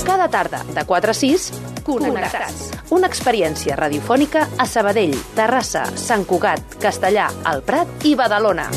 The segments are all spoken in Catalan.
Cada tarda, de 4 a 6, Connectats. Una experiència radiofònica a Sabadell, Terrassa, Sant Cugat, Castellar, El Prat i Badalona.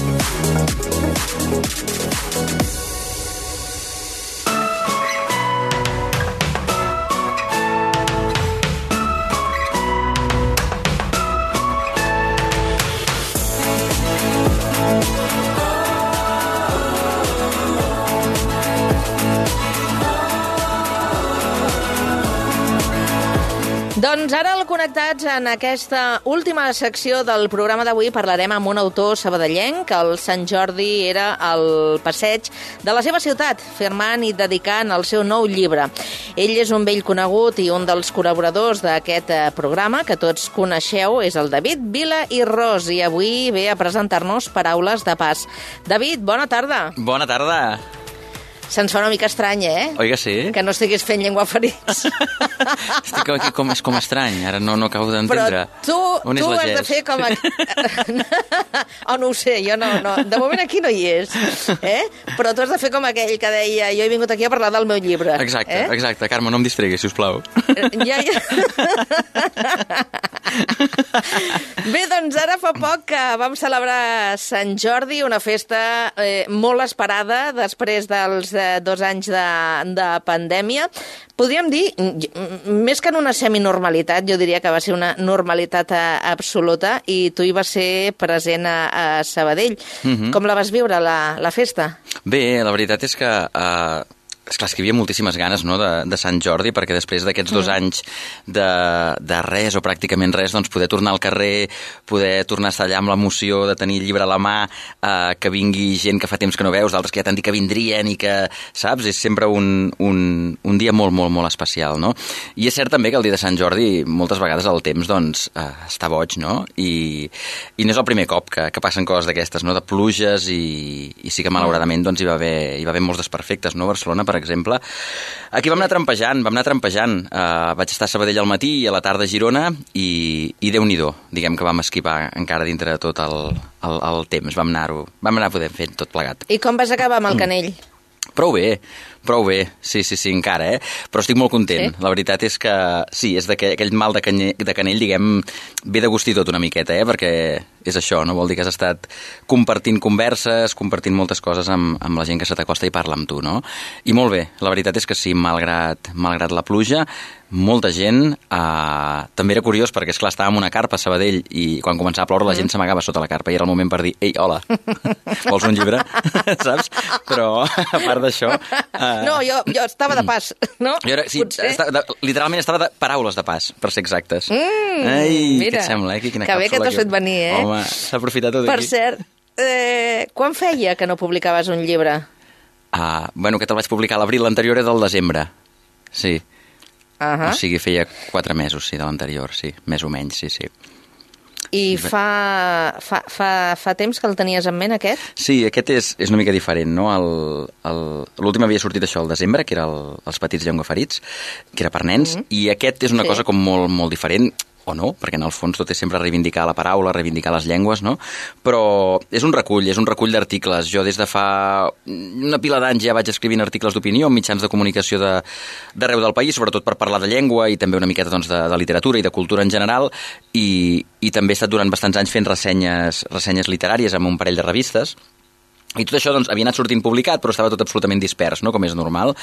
Doncs ara al Connectats, en aquesta última secció del programa d'avui, parlarem amb un autor sabadellenc. El Sant Jordi era al passeig de la seva ciutat, firmant i dedicant el seu nou llibre. Ell és un vell conegut i un dels col·laboradors d'aquest programa, que tots coneixeu, és el David Vila i Ros, i avui ve a presentar-nos Paraules de pas. David, bona tarda. Bona tarda. Se'ns fa una mica estrany, Oi que sí? Que no estiguis fent llengüaferits. Estic aquí com estrany, ara no acabo d'entendre. Però tu has de fer com... no ho sé, jo no. De moment aquí no hi és. Però tu has de fer com aquell que deia jo he vingut aquí a parlar del meu llibre. Exacte. Carme, no em distregui, sisplau. Ja. Bé, doncs ara fa poc que vam celebrar Sant Jordi, una festa molt esperada després dels 2 anys de pandèmia. Podríem dir, més que en una seminormalitat, jo diria que va ser una normalitat absoluta, i tu hi vas ser present a Sabadell. Com la vas viure, la festa? Bé, la veritat és que... Esclar, és que hi havia moltíssimes ganes, no?, de Sant Jordi, perquè després d'aquests 2 anys de res o pràcticament res, doncs poder tornar al carrer, poder tornar a estar allà amb l'emoció de tenir el llibre a la mà, que vingui gent que fa temps que no veus, d'altres que ja t'han dit que vindrien i que, saps, és sempre un dia molt, molt, molt especial, no? I és cert també que el dia de Sant Jordi moltes vegades el temps, doncs, està boig, no? I no és el primer cop que passen coses d'aquestes, no?, de pluges, i sí que malauradament doncs, hi va haver molts desperfectes, no?, a Barcelona, per exemple. Aquí vam anar trampejant. Vaig estar a Sabadell al matí i a la tarda a Girona i Déu-n'hi-do. Diguem que vam esquivar encara dintre de tot el temps. Vam anar poder fer tot plegat. I com vas acabar amb el Canell? Prou bé, sí, encara, Però estic molt content. Sí? La veritat és que, sí, és aquell mal de canell, diguem, ve de gust i tot una miqueta, perquè és això, no? Vol dir que has estat compartint converses, compartint moltes coses amb la gent que se t'acosta i parla amb tu, no? I molt bé, la veritat és que sí, malgrat la pluja, molta gent, també era curiós perquè, esclar, estàvem en una carpa a Sabadell i quan començava a ploure la gent s'amagava sota la carpa i era el moment per dir, ei, hola, vols un llibre? Saps? Però, a part d'això... No, jo estava de pas, no? Literalment estava de paraules de pas, per ser exactes. Ai, mira, què et sembla, Quina que bé que t'has fet venir, Home, s'ha aprofitat tot aquí. Per cert, quan feia que no publicaves un llibre? Bueno, aquest el vaig publicar a l'abril, l'anterior era del desembre, sí. O sigui, feia 4 mesos, sí, de l'anterior, sí, més o menys, sí. I fa temps que el tenies en ment, aquest? Sí, aquest és una mica diferent, no? L'últim havia sortit això al desembre, que era els petits llengüaferits, que era per nens, i aquest és una cosa com molt, molt diferent, o no, perquè en el fons tot és sempre reivindicar la paraula, reivindicar les llengües, no? Però és un recull d'articles. Jo des de fa una pila d'anys ja vaig escrivint articles d'opinió en mitjans de comunicació d'arreu del país, sobretot per parlar de llengua i també una miqueta doncs, de literatura i de cultura en general, i també he estat durant bastants anys fent ressenyes literàries amb un parell de revistes. I tot això doncs, havia anat sortint publicat, però estava tot absolutament dispers, no?, com és normal.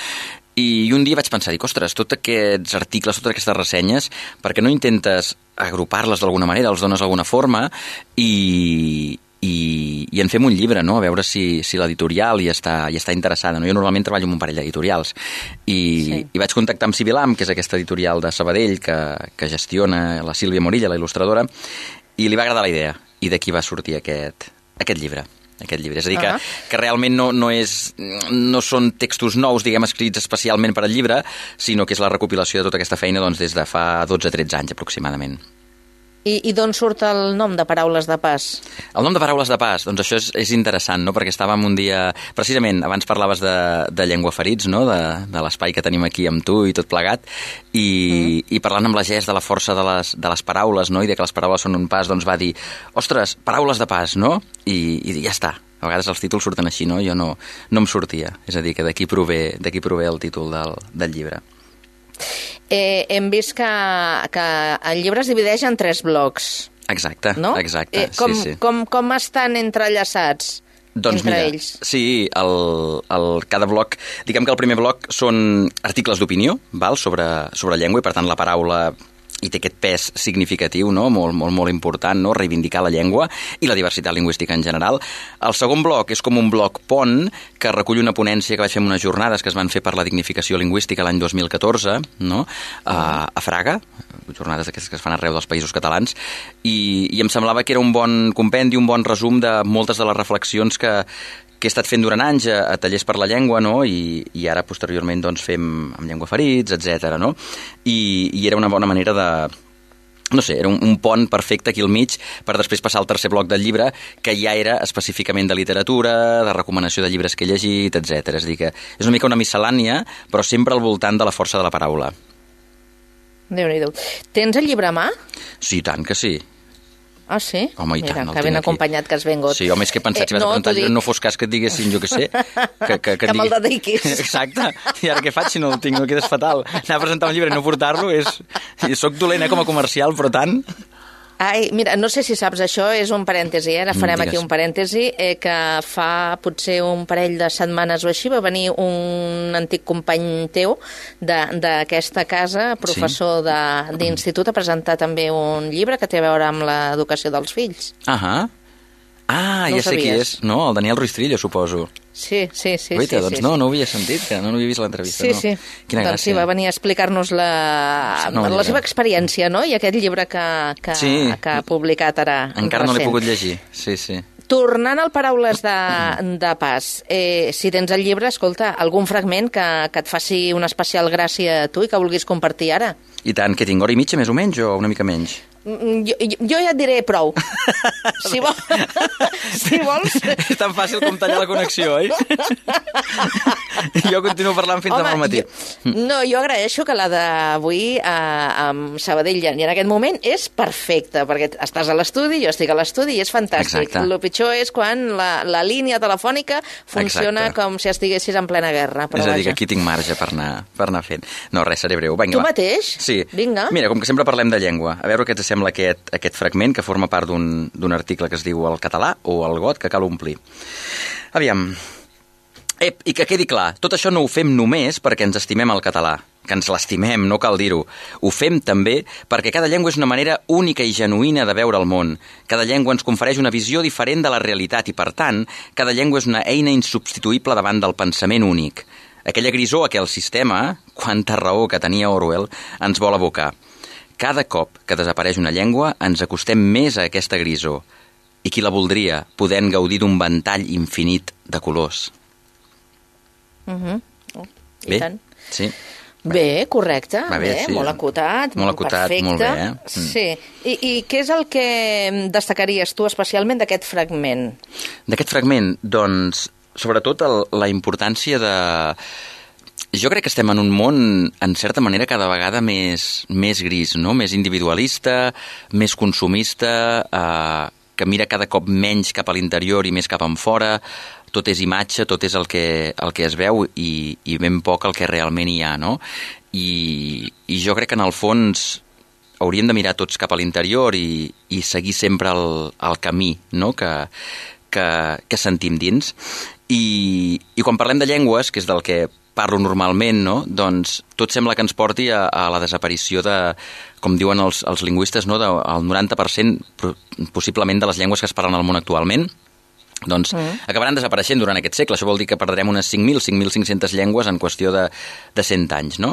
I un dia vaig pensar, ostres, tots aquests articles, totes aquestes ressenyes, per què no intentes agrupar-les d'alguna manera, els dones alguna forma i en fem un llibre, no?, a veure si l'editorial hi està interessada, no? Jo normalment treballo amb un parell d'editorials i vaig contactar amb Sibilam, que és aquesta editorial de Sabadell que gestiona la Sílvia Morilla, la il·lustradora, i li va agradar la idea, i d'aquí va sortir aquest llibre. És a dir, que realment no són textos nous, diguem, escrits especialment per al llibre, sinó que és la recopilació de tota aquesta feina doncs, des de fa 12-13 anys aproximadament. I d'on surt el nom de Paraules de Pas? El nom de Paraules de Pas, doncs això és interessant, no? Perquè estàvem un dia... Precisament, abans parlaves de llengüaferits, no? De l'espai que tenim aquí amb tu i tot plegat, i parlant amb la Gess de la força de les paraules, no? I de que les paraules són un pas, doncs va dir, ostres, paraules de pas, no? I ja està. a vegades els títols surten així, no? Jo no em sortia. És a dir, que d'aquí prové el títol del llibre. Hem vist que el llibre es divideix en 3 blocs. Exacte, no? Exacte. Sí. Com estan entrellaçats? Doncs entre mira, ells. Sí, cada bloc... Diguem que el primer bloc són articles d'opinió, sobre llengua, i per tant la paraula i té aquest pes significatiu, no? molt important, no? Reivindicar la llengua i la diversitat lingüística en general. El segon bloc és com un bloc pont que recull una ponència que vaig fer en unes jornades que es van fer per la dignificació lingüística l'any 2014, no? A Fraga, jornades d'aquestes que es fan arreu dels països catalans, i em semblava que era un bon compendi, un bon resum de moltes de les reflexions que he estat fent durant anys a tallers per la llengua, no? I ara posteriorment doncs, fem amb llengua ferits, etc. No? I era una bona manera de... No sé, era un pont perfecte aquí al mig per després passar al tercer bloc del llibre, que ja era específicament de literatura, de recomanació de llibres que he llegit, etc. És a dir, que és una mica una miscel·lània, però sempre al voltant de la força de la paraula. Déu-n'hi-do. Tens el llibre a mà? Sí, tant que sí. Ah, sí? Home, i mira, tant, que ben acompanyat que has vingut. Sí, home, és que he pensat, si vas a preguntar, no fos cas que et diguessin, jo què sé, que me'l dediquis. Exacte, i ara què faig si no el tinc? No quedes fatal. Anar a presentar un llibre i no portar-lo és... Soc dolent, com a comercial, però tant... Ai, mira, no sé si saps això, és un parèntesi, ara farem aquí un parèntesi, que fa potser un parell de setmanes o així va venir un antic company teu d'aquesta casa, professor d'institut, a presentar també un llibre que té a veure amb l'educació dels fills. Ah, ja sé qui és, no? El Daniel Ruiz Trillo, suposo. Sí. Guaita, doncs no ho havia sentit, que no havia vist l'entrevista. Sí. Quina gràcia. Doncs sí, va venir a explicar-nos la seva experiència, no? I aquest llibre que ha publicat ara. Encara no l'he pogut llegir, sí. Tornant al Paraules de Pas, si tens el llibre, escolta, algun fragment que et faci una especial gràcia a tu i que vulguis compartir ara? I tant, que tinc hora i mitja més o menys o una mica menys? Jo ja et diré prou. Si vols... És tan fàcil com tallar la connexió, oi? Jo continuo parlant fins demà al matí. Jo agraeixo que la d'avui amb Sabadell i en aquest moment és perfecta, perquè estàs a l'estudi, jo estic a l'estudi i és fantàstic. Exacte. El pitjor és quan la línia telefònica funciona com si estiguessis en plena guerra. És a dir, que aquí tinc marge per anar fent. No, res, seré breu. Vinga, tu mateix? Sí. Vinga. Mira, com que sempre parlem de llengua, a veure què et sembla aquest fragment que forma part d'un article que es diu El català o el got que cal omplir. Aviam. I que quedi clar, tot això no ho fem només perquè ens estimem el català, que ens l'estimem, no cal dir-ho. Ho fem també perquè cada llengua és una manera única i genuïna de veure el món. Cada llengua ens confereix una visió diferent de la realitat i, per tant, cada llengua és una eina insubstituïble davant del pensament únic. Aquella grisor a què el sistema, quanta raó que tenia Orwell, ens vol abocar. Cada cop que desapareix una llengua ens acostem més a aquesta grisor. I qui la voldria, podent gaudir d'un ventall infinit de colors. I tant. Sí. Bé, correcte, sí. Molt acotat, perfecte. Molt bé. Sí. I què és el que destacaries tu especialment d'aquest fragment? D'aquest fragment, doncs, sobretot la importància de... Jo crec que estem en un món, en certa manera, cada vegada més gris, no? Més individualista, més consumista, que mira cada cop menys cap a l'interior i més cap enfora. Tot és imatge, tot és el que es veu i ben poc el que realment hi ha, no? I jo crec que en el fons hauríem de mirar tots cap a l'interior i seguir sempre el camí, no? Que sentim dins. I quan parlem de llengües, que és del que parlo normalment, no? Doncs tot sembla que ens porti a la desaparició de, com diuen els lingüistes, no? Del 90% possiblement de les llengües que es parlen al món actualment, doncs acabaran desapareixent durant aquest segle. Això vol dir que perdrem unes 5.500 llengües en qüestió de 100 anys, no?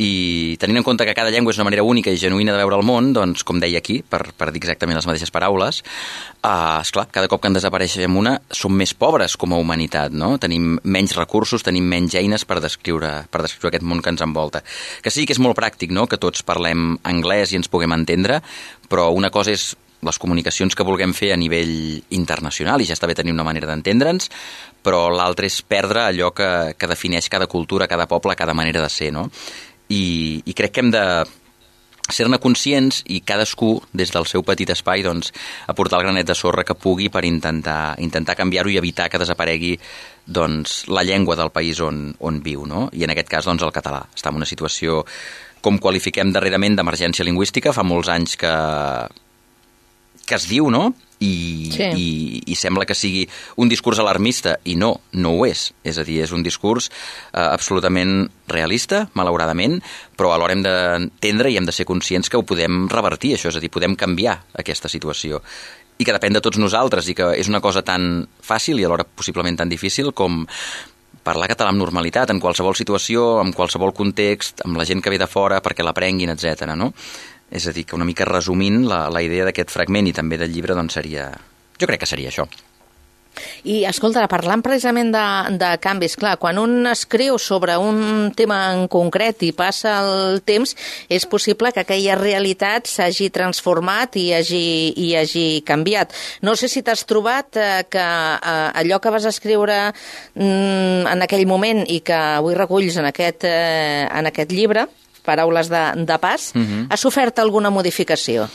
I tenint en compte que cada llengua és una manera única i genuïna de veure el món, doncs, com deia aquí, per dir exactament les mateixes paraules, esclar, cada cop que en desapareixem una, som més pobres com a humanitat, no? Tenim menys recursos, tenim menys eines per descriure aquest món que ens envolta. Que sí que és molt pràctic, no?, que tots parlem anglès i ens puguem entendre, però una cosa és les comunicacions que vulguem fer a nivell internacional, i ja està bé tenir una manera d'entendre'ns, però l'altre és perdre allò que defineix cada cultura, cada poble, cada manera de ser, no? I crec que hem de ser-ne conscients i cadascú, des del seu petit espai, doncs, aportar el granet de sorra que pugui per intentar canviar-ho i evitar que desaparegui doncs, la llengua del país on viu, no? I en aquest cas, doncs, el català. Està en una situació, com qualifiquem darrerament, d'emergència lingüística. Fa molts anys que es diu, no? I sembla que sigui un discurs alarmista, i no ho és. És a dir, és un discurs absolutament realista, malauradament, però alhora hem d'entendre i hem de ser conscients que ho podem revertir, això, és a dir, podem canviar aquesta situació. I que depèn de tots nosaltres, i que és una cosa tan fàcil i alhora possiblement tan difícil com parlar català amb normalitat, en qualsevol situació, en qualsevol context, amb la gent que ve de fora perquè l'aprenguin, etc. No? És a dir, que una mica resumint la idea d'aquest fragment i també del llibre, doncs seria... Jo crec que seria això. I, escolta, parlant precisament de canvis, clar, quan un escriu sobre un tema en concret i passa el temps, és possible que aquella realitat s'hagi transformat i hagi canviat. No sé si t'has trobat que allò que vas escriure en aquell moment i que avui reculls en aquest llibre, Paraules de pas, ha sofert alguna modificació?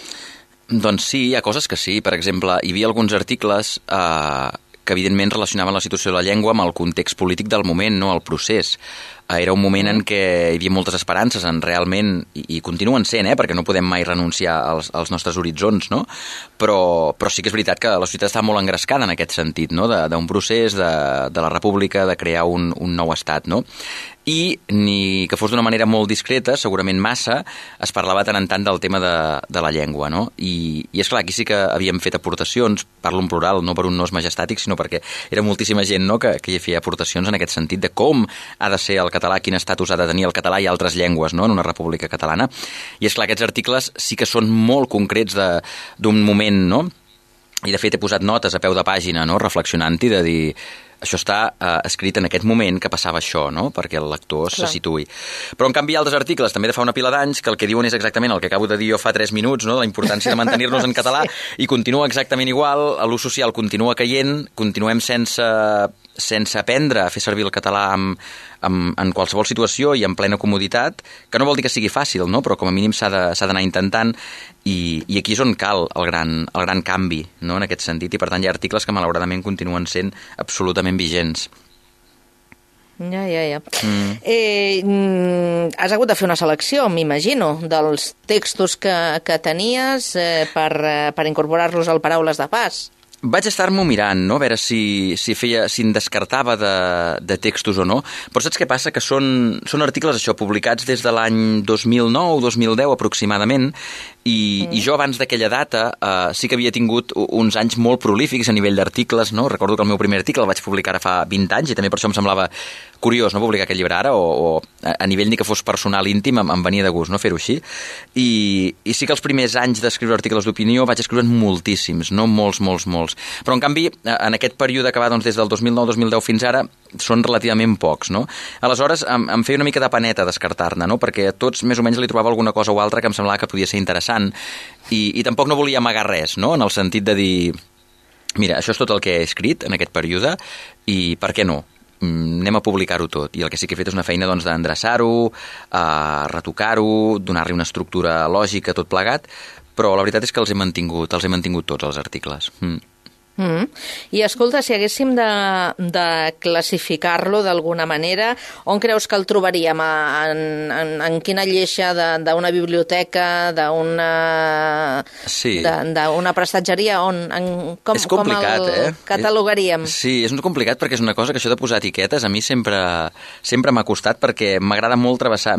Doncs sí, hi ha coses que sí. Per exemple, hi havia alguns articles que evidentment relacionaven la situació de la llengua amb el context polític del moment, no el procés. Era un moment en què hi havia moltes esperances en realment, i continuen sent, perquè no podem mai renunciar als nostres horitzons, no? Però sí que és veritat que la societat està molt engrescada en aquest sentit, no? D'un procés de la república, de crear un nou estat, no? I ni que fos d'una manera molt discreta, segurament massa, es parlava tant en tant del tema de la llengua, no? I és clar, aquí sí que havíem fet aportacions, parlo en plural, no per un nos majestàtic, sinó perquè era moltíssima gent, no?, que hi feia aportacions en aquest sentit de com ha de ser el català, quin estatus ha de tenir el català i altres llengües, no?, en una república catalana. I és clar, aquests articles sí que són molt concrets d'un moment, no? I de fet he posat notes a peu de pàgina, no?, reflexionant-hi, de dir... Això està escrit en aquest moment que passava això, no?, perquè el lector se situï. Però, en canvi, altres articles, també de fa una pila d'anys, que el que diuen és exactament el que acabo de dir jo fa 3 minuts, no?, de la importància de mantenir-nos en català, i continua exactament igual, l'ús social continua caient, continuem sense aprendre a fer servir el català en qualsevol situació i en plena comoditat, que no vol dir que sigui fàcil, no?, però com a mínim s'ha d'anar intentant, i aquí és on cal el gran canvi, no?, en aquest sentit, i per tant hi ha articles que malauradament continuen sent absolutament vigents. Ja. Has hagut de fer una selecció, m'imagino, dels textos que tenies per incorporar-los al Paraules de Pas. Vaig estar-m'ho mirant, no?, a veure si em descartava de textos o no, però saps què passa? Que són articles, això, publicats des de l'any 2009-2010 aproximadament, i jo abans d'aquella data sí que havia tingut uns anys molt prolífics a nivell d'articles, no? Recordo que el meu primer article el vaig publicar ara fa 20 anys i també per això em semblava curiós, no?, publicar aquest llibre ara, o a nivell ni que fos personal íntim em venia de gust, no?, fer-ho així. I sí que els primers anys d'escriure articles d'opinió vaig escriure moltíssims, no?, molts. Però, en canvi, en aquest període que va des del 2009-2010 fins ara, són relativament pocs, no? Aleshores, em feia una mica de paneta descartar-ne, no?, perquè a tots més o menys li trobava alguna cosa o altra que em semblava que podia ser interessant, i tampoc no volia amagar res, no?, en el sentit de dir, mira, això és tot el que he escrit en aquest període, i per què no? Anem a publicar-ho tot. I el que sí que he fet és una feina d'endreçar-ho, retocar-ho, donar-li una estructura lògica, tot plegat, però la veritat és que els he mantingut tots els articles. I escolta, si haguéssim de classificar-lo d'alguna manera, on creus que el trobaríem? En quina lleixa d'una biblioteca, d'una prestatgeria? Com el catalogaríem? Sí, és complicat perquè és una cosa que això de posar etiquetes a mi sempre m'ha costat, perquè m'agrada molt travessar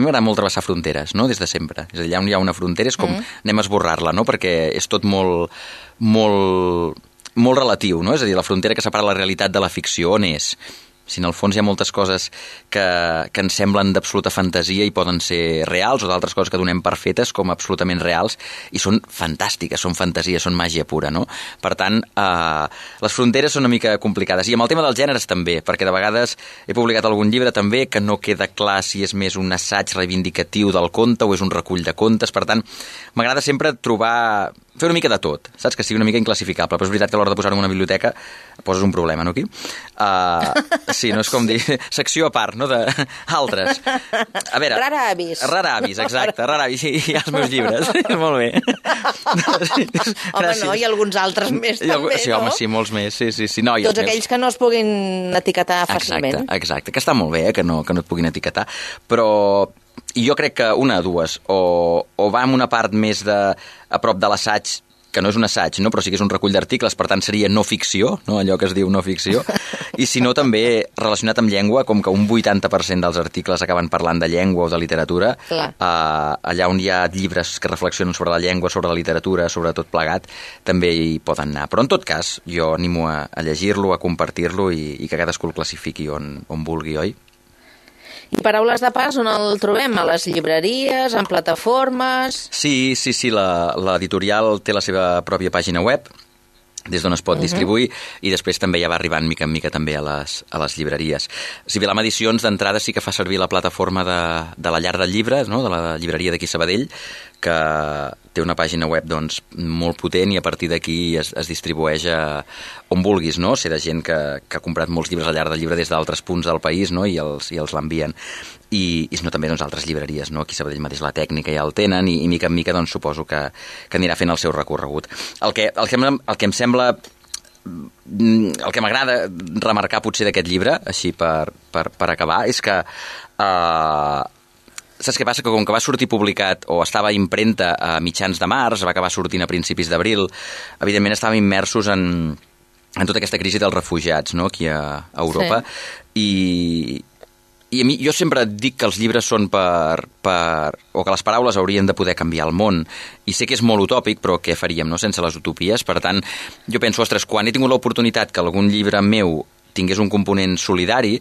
fronteres, no?, des de sempre. És a dir, allà on hi ha una frontera és com anem a esborrar-la, no?, perquè és tot molt relatiu, no? És a dir, la frontera que separa la realitat de la ficció, on és? Si en el fons hi ha moltes coses que ens semblen d'absoluta fantasia i poden ser reals, o d'altres coses que donem per fetes com absolutament reals, i són fantàstiques, són fantasia, són màgia pura, no? Per tant, les fronteres són una mica complicades. I amb el tema dels gèneres també, perquè de vegades he publicat algun llibre també que no queda clar si és més un assaig reivindicatiu del conte o és un recull de contes. Per tant, m'agrada sempre trobar fer una mica de tot, saps? Que sigui una mica inclassificable, però és veritat que a l'hora de posar-ho en una biblioteca poses un problema, no, aquí? Sí, no és com dir secció a part, no? D'altres. A veure... Rara avis. Rara avis, exacte, rara avis. I els meus llibres. Molt bé. Home, no, i alguns altres més, també, sí, no? Home, sí, molts més. Sí. No, tots aquells que no es puguin etiquetar fàcilment. Exacte, que està molt bé, que no et puguin etiquetar, però... I jo crec que una de dues, o va amb una part més a prop de l'assaig, que no és un assaig, no? Però sí que és un recull d'articles, per tant seria no ficció, no? Allò que es diu no ficció, i si no també relacionat amb llengua, com que un 80% dels articles acaben parlant de llengua o de literatura, allà on hi ha llibres que reflexionen sobre la llengua, sobre la literatura, sobre tot plegat, també hi poden anar. Però en tot cas, jo animo a llegir-lo, a compartir-lo i que cadascú el classifiqui on vulgui, oi? I Paraules de Pas, on el trobem? A les llibreries, en plataformes... Sí, l'editorial té la seva pròpia pàgina web, des d'on es pot distribuir, i després també ja va arribant mica en mica també a les llibreries. Civilam Edicions, d'entrada, sí que fa servir la plataforma de la Llar del Llibre, no? De la llibreria d'aquí Sabadell, que té una pàgina web doncs, molt potent i a partir d'aquí es distribueix on vulguis, no? Sé de gent que ha comprat molts llibres al Llar del Llibre des d'altres punts del país, no? I els l'envien. I si no, també doncs, altres llibreries, no? Aquí a Sabadell mateix la Tècnica ja el tenen i mica en mica doncs, suposo que anirà fent el seu recorregut. El que em sembla... El que m'agrada remarcar potser d'aquest llibre, així per acabar, és que... Saps què passa? Que com que va sortir publicat o estava a impremta a mitjans de març, va acabar sortint a principis d'abril, evidentment estàvem immersos en tota aquesta crisi dels refugiats, no? Aquí a Europa. Sí. I a mi, jo sempre dic que els llibres són o que les paraules haurien de poder canviar el món. I sé que és molt utòpic, però què faríem, no? Sense les utopies. Per tant, jo penso, ostres, quan he tingut l'oportunitat que algun llibre meu tingués un component solidari,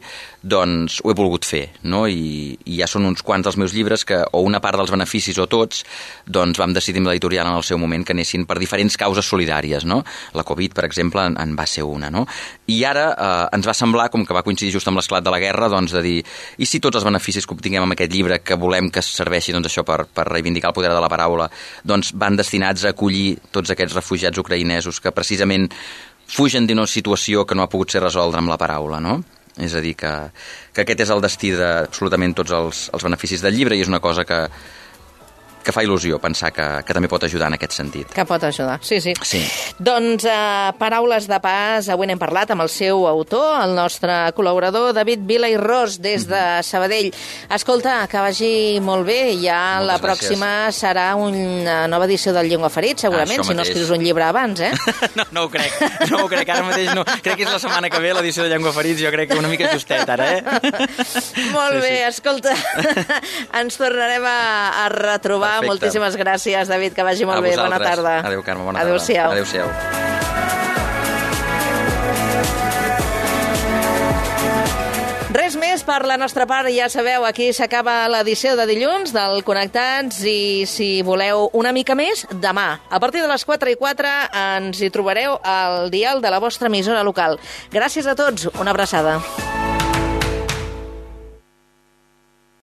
doncs ho he volgut fer, no? I ja són uns quants dels meus llibres que, o una part dels beneficis o tots, doncs vam decidir amb l'editorial en el seu moment que anessin per diferents causes solidàries, no? La Covid, per exemple, en va ser una, no? I ara ens va semblar, com que va coincidir just amb l'esclat de la guerra, doncs de dir, i si tots els beneficis que obtinguem amb aquest llibre, que volem que serveixi doncs, això per reivindicar el poder de la paraula, doncs van destinats a acollir tots aquests refugiats ucraïnesos que precisament fugen d'una situació que no ha pogut ser resoldre amb la paraula, no? És a dir, que aquest és el destí d'absolutament tots els beneficis del llibre i és una cosa que fa il·lusió pensar que també pot ajudar en aquest sentit. Que pot ajudar, sí. Doncs Paraules de Pas, avui n'hem parlat amb el seu autor, el nostre col·laborador David Vila i Ros, des de Sabadell. Escolta, que vagi molt bé, ja moltes la pròxima gràcies. Serà una nova edició del Llengua Ferit, segurament, si no escrius un llibre abans, eh? No ho crec, ara mateix no. Crec que és la setmana que ve l'edició de Llengua Ferit, jo crec que una mica justet ara, eh? Molt bé, escolta, ens tornarem a retrobar. Perfecte. Moltíssimes gràcies, David, que vagi molt bé. Bona tarda. Adéu, Carme, bona tarda. Adéu-siau. Res més per la nostra part, ja sabeu, aquí s'acaba l'edició de dilluns del Connectats i si voleu una mica més, demà. A partir de les 4:04 ens hi trobareu al dial de la vostra emissora local. Gràcies a tots, una abraçada.